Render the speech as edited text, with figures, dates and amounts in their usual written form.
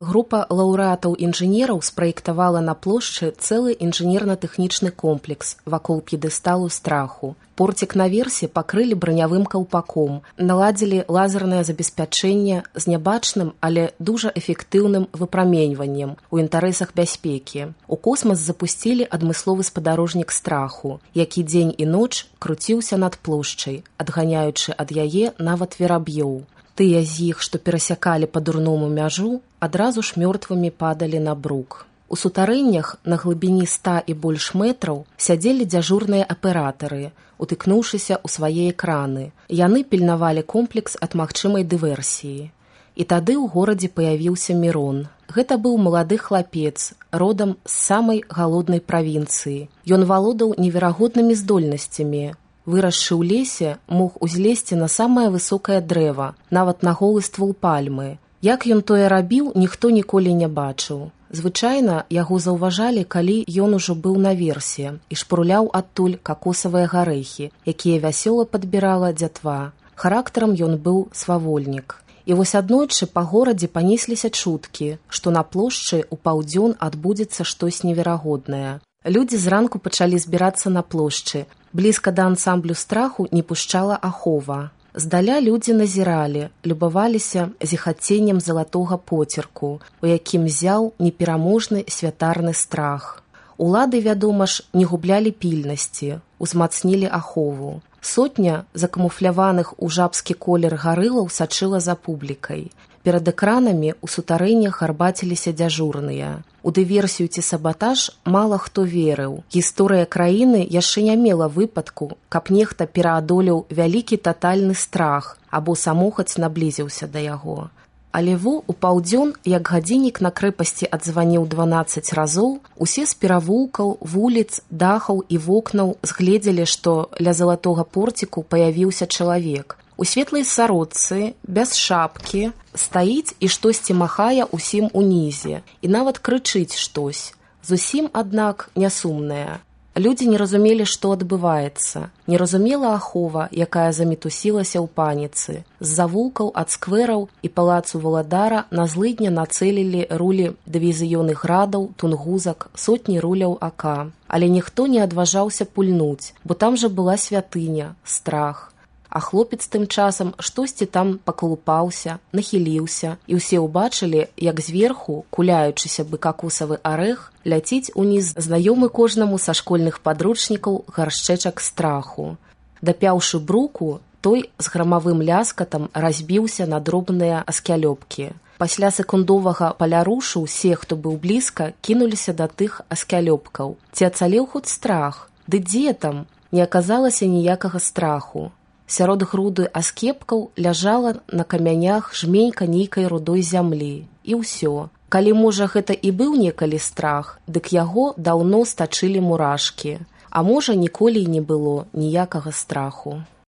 Група лаўрэатаў-інжынераў спраектавала на плошчы цэлы інжынерна-тэхнічны комплекс вакол п'едэсталу страху. Порцік наверсе пакрылі бранявым каўпаком, наладзілі лазернае забеспячэнне з нябачным, але дужа эфектыўным выпраменьваннем у інтарэсах бяспекі. У космас запусцілі адмысловы спадарожнік страху, які дзень і ноч круціўся над плошчай, адганяючы ад яе нават вераб'ёў. Тыя з іх, што перасякалі па-дурному мяжу, адразу ж мёртвымі падалі на брук. У сутарэннях на глыбіні 100 і больш метраў сядзелі дзяжурныя аператары, утыкнуўшыся ў свае экраны. Яны пільнавалі комплекс ад магчымай дыверсіі. І тады ў горадзе паявіўся Мірон. Гэта быў малады хлапец, родам з самай галоднай правінцыі. Ён валодаў неверагоднымі здольнасцямі. Вырасшы ў лесе, мог узлезці на самае высокае дрэва, нават на голы ствол пальмы. Як ён тое рабіў, ніхто ніколі не бачыў. Звычайна яго заўважалі, калі ён ужо быў наверсе і шпурляў адтуль какосавыя гарэхі, якія вясёла падбірала дзятва. Характарам ён быў свавольнік. І вось аднойчы па горадзе панесліся чуткі, што на плошчы ў паўдзён адбудзецца штось неверагоднае. Людзі зранку пачалі збірацца на плошчы. Блізка да ансамблю страху не пушчала ахова. Здаля людзі назіралі, любаваліся зіхаценнем залатога поцерку, у якім зяў непераможны святарны страх. Улады, вядома ж, не гублялі пільнасці, узмацнілі ахову. Сотня закамуфляваных у жабскі колер гарылаў сачыла за публікай. Перад экранамі ў сутарэннях гарбаціліся дзяжурныя. У дыверсію ці сабатаж мала хто верыў. Гісторыя краіны яшчэ не мела выпадку, каб нехта пераадолеў вялікі татальны страх або самохаць наблізіўся да яго. Але у паўдзён, як гадзіннік на крэпасці адзваніў 12 разоў, усе з перавулкаў, вуліц, дахаў і вокнаў згледзелі, што ля залатога порціку паявіўся чалавек. У светлай сарочцы, без шапкі, стаіць і штосьці махае ўсім унізе, і нават крычыць штось. Зусім, аднак, нясумнае. Людзі не разумелі, што адбываецца. Не разумела ахова, якая замітусілася ў паніцы. З завулкаў ад сквераў і палацу валадара на злыдня нацэлілі рулі дывізіёны градаў, тунгузак, сотні руляў ака. Але ніхто не адважаўся пульнуць, бо там жа была святыня, страх. А хлопец тым часам штосьці там пакалупаўся, нахіліўся, і ўсе ўбачылі, як зверху, куляючыся бы какосавы арэх, ляціць уніз знаёмы кожнаму са школьных падручнікаў гаршчэчак страху. Дапяўшы бруку, той з грамавым ляскатам разбіўся на дробныя аскялёбкі. Пасля секундовага палярушу ўсе, хто быў блізка, кінуліся да тых аскялёбкаў. Ці ацалеў хоць страх? Ды дзе там? Не аказалася ніякага страху. Сярод груды аскепкаў ляжала на камянях жменька нейкай рудой зямлі. І ўсё. Калі, можа, гэта і быў некалі страх, дык яго даўно стачылі мурашкі. А можа, ніколі і не было ніякага страху.